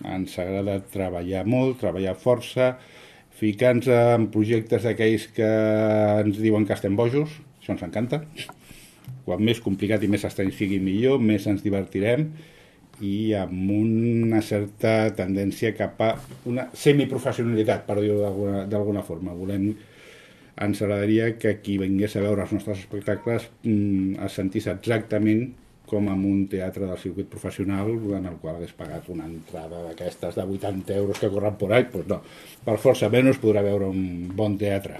Ens agrada treballar molt, treballar força, ficar-nos en projectes d'aquells que ens diuen que estem bojos, això ens encanta. Quan més complicat i més estrany sigui millor, més ens divertirem i amb una certa tendència cap a una semiprofessionalitat, per dir-ho d'alguna forma. Ens agradaria que qui vingués a veure els nostres espectacles es sentís exactament com en un teatre del circuit professional en el qual hagués pagat una entrada d'aquestes de 80 euros que corren por ahí. Pues no, per força menys podrà veure un bon teatre.